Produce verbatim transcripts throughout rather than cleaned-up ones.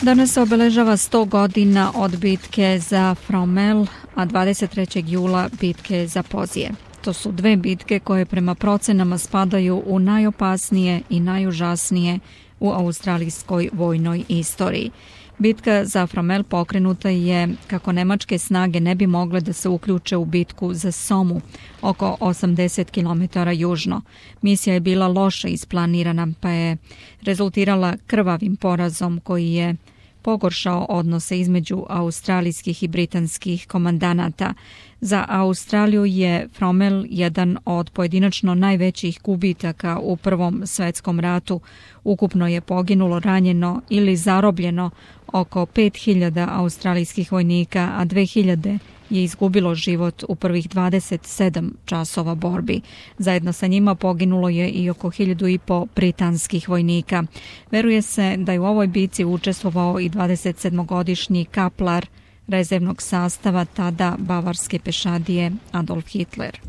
Danas se obeležava sto godina od bitke za Fromelles, a dvadeset trećeg jula bitke za Pozije. To su dve bitke koje prema procenama spadaju u najopasnije i najužasnije u australijskoj vojnoj istoriji. Bitka za Fromelles pokrenuta je kako nemačke snage ne bi mogle da se uključe u bitku za Somu, oko osamdeset kilometara južno. Misija je bila loše isplanirana, pa je rezultirala krvavim porazom koji je pogoršao odnose između australijskih i britanskih komandanata. Za Australiju je Fromelles jedan od pojedinačno najvećih gubitaka u Prvom svetskom ratu. Ukupno je poginulo, ranjeno ili zarobljeno oko pet hiljada australijskih vojnika, a dve hiljade je izgubilo život u prvih dvadeset sedam časova borbi. Zajedno sa njima poginulo je i oko hiljadu i po britanskih vojnika. Veruje se da je u ovoj bici učestvovao i dvadesetsedmogodišnji kaplar rezervnog sastava tada bavarske pešadije Adolf Hitler.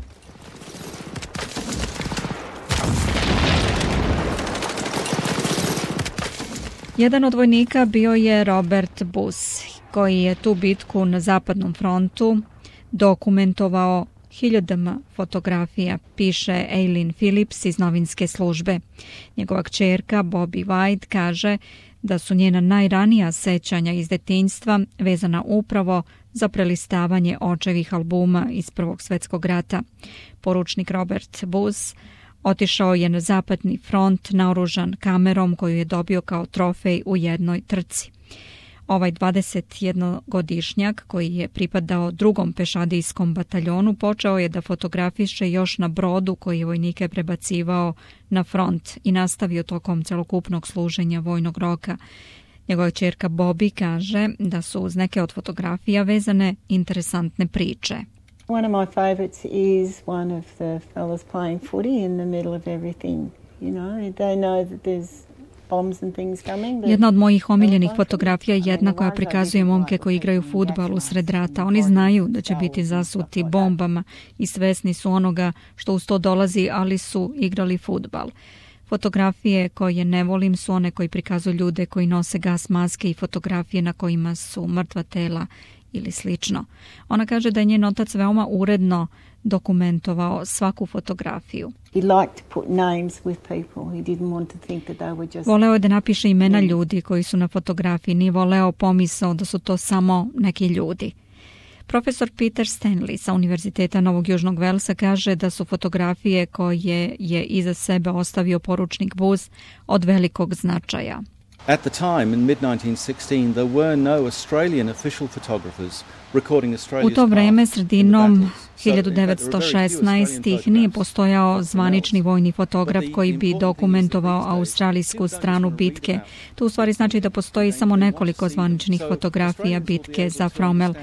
Jedan od vojnika bio je Robert Buss, koji je tu bitku na zapadnom frontu dokumentovao hiljadama fotografija, piše Aileen Phillips iz novinske službe. Njegova kćerka Bobby White kaže da su njena najranija sećanja iz detinjstva vezana upravo za prelistavanje očevih albuma iz Prvog svjetskog rata. Poručnik Robert Buss otišao je na zapadni front naoružan kamerom koju je dobio kao trofej u jednoj trci. Ovaj dvadesetjednogodišnjak koji je pripadao drugom pešadijskom bataljonu počeo je da fotografiše još na brodu koji je vojnike prebacivao na front i nastavio tokom celokupnog služenja vojnog roka. Njegova ćerka Bobby kaže da su uz neke od fotografija vezane interesantne priče. One of my favourites is one of the fellas playing footy in the middle of everything. You know, they know that there's bombs and things coming. Jedna od mojih omiljenih fotografija je jedna koja prikazuje momke koji igraju fudbal usred rata. Oni znaju da će biti zasuti bombama i svesni su onoga što uz to dolazi, ali su igrali fudbal. Fotografije koje ne volim su one koji prikazuju ljude koji nose gas maske i fotografije na kojima su mrtva tela ili slično. Ona kaže da je njen otac veoma uredno dokumentovao svaku fotografiju. Voleo je da napiše imena ljudi koji su na fotografiji, nije voleo pomisao da su to samo neki ljudi. Profesor Peter Stanley sa Univerziteta Novog Južnog Velsa kaže da su fotografije koje je iza sebe ostavio poručnik Buss od velikog značaja. At the time, in mid nineteen sixteen, there were no Australian official photographers recording Australia's. U to vreme, sredinom hiljadu devetsto šesnaeste. nije postojao zvanični vojni fotograf koji bi dokumentovao australijsku stranu bitke. To u stvari znači da postoji samo nekoliko zvaničnih fotografija bitke za Fromelles.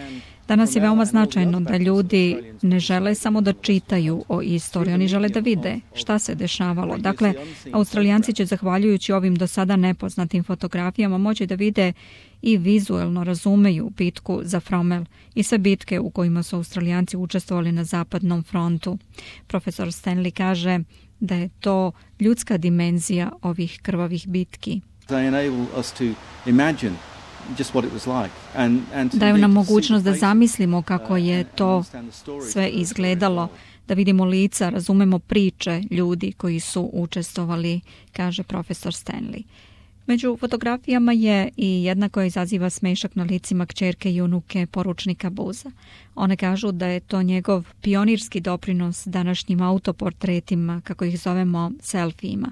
Danas je veoma značajno da ljudi ne žele samo da čitaju o istoriji, oni žele da vide šta se dešavalo. Dakle, Australijanci će zahvaljujući ovim do sada nepoznatim fotografijama moći da vide i vizuelno razumeju bitku za Fromelles i sve bitke u kojima su Australijanci učestvovali na zapadnom frontu. Profesor Stanley kaže da je to ljudska dimenzija ovih krvavih bitki. They enable us to imagine just what it was like. And, and daju nam mogućnost da zamislimo kako je to sve izgledalo, da vidimo lica, razumemo priče ljudi koji su učestvovali, kaže profesor Stanley. Među fotografijama je i jedna koja izaziva smešak na licima kćerke i unuke poručnika Bussa. One kažu da je to njegov pionirski doprinos današnjim autoportretima, kako ih zovemo selfijima.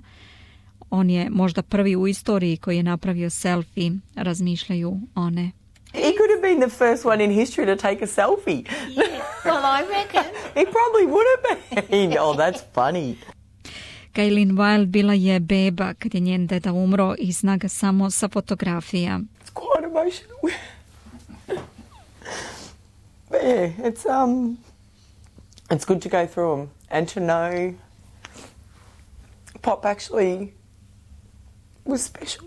On je možda prvi u istoriji koji je napravio selfie, razmišljaju one. He could have been the first one in history to take a selfie. Yeah, well, I reckon. He probably would have been. Oh, that's funny. Kaylin Wilde bila je beba kad je njen deda umro i zna ga samo sa fotografija. It's quite emotional. But yeah, it's um, it's good to go through them and to know Pop actually was special.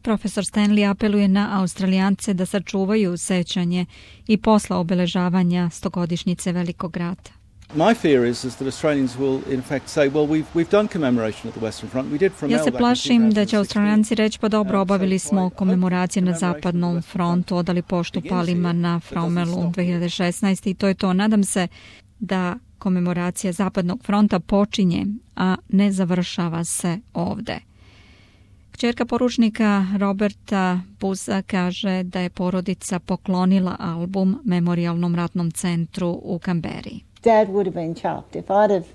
Profesor Stanley apeluje na Australijance da sačuvaju sećanje i posla obeležavanja stogodišnjice Velikog rata. My fear is, is that Australians will in fact say, well, we've, we've done commemoration at the Western Front. We did from Ja se plašim da će Australijanci reći, pa dobro, obavili smo komemoracije na Zapadnom frontu, odali poštu palima na Fraumelu dve hiljade šesnaeste. i to je to. Nadam se da komemoracija Zapadnog fronta počinje, a ne završava se ovde. Kćerka poručnika Roberta Buza kaže da je porodica poklonila album Memorijalnom ratnom centru u Kamberi. Dad would have been chuffed if I'd have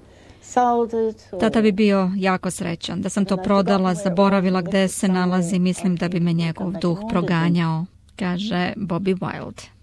sold it. Or... Tata bi bio jako srećan da sam to prodala, zaboravila gde se nalazi, mislim da bi me njegov duh proganjao, kaže Bobby Wilde.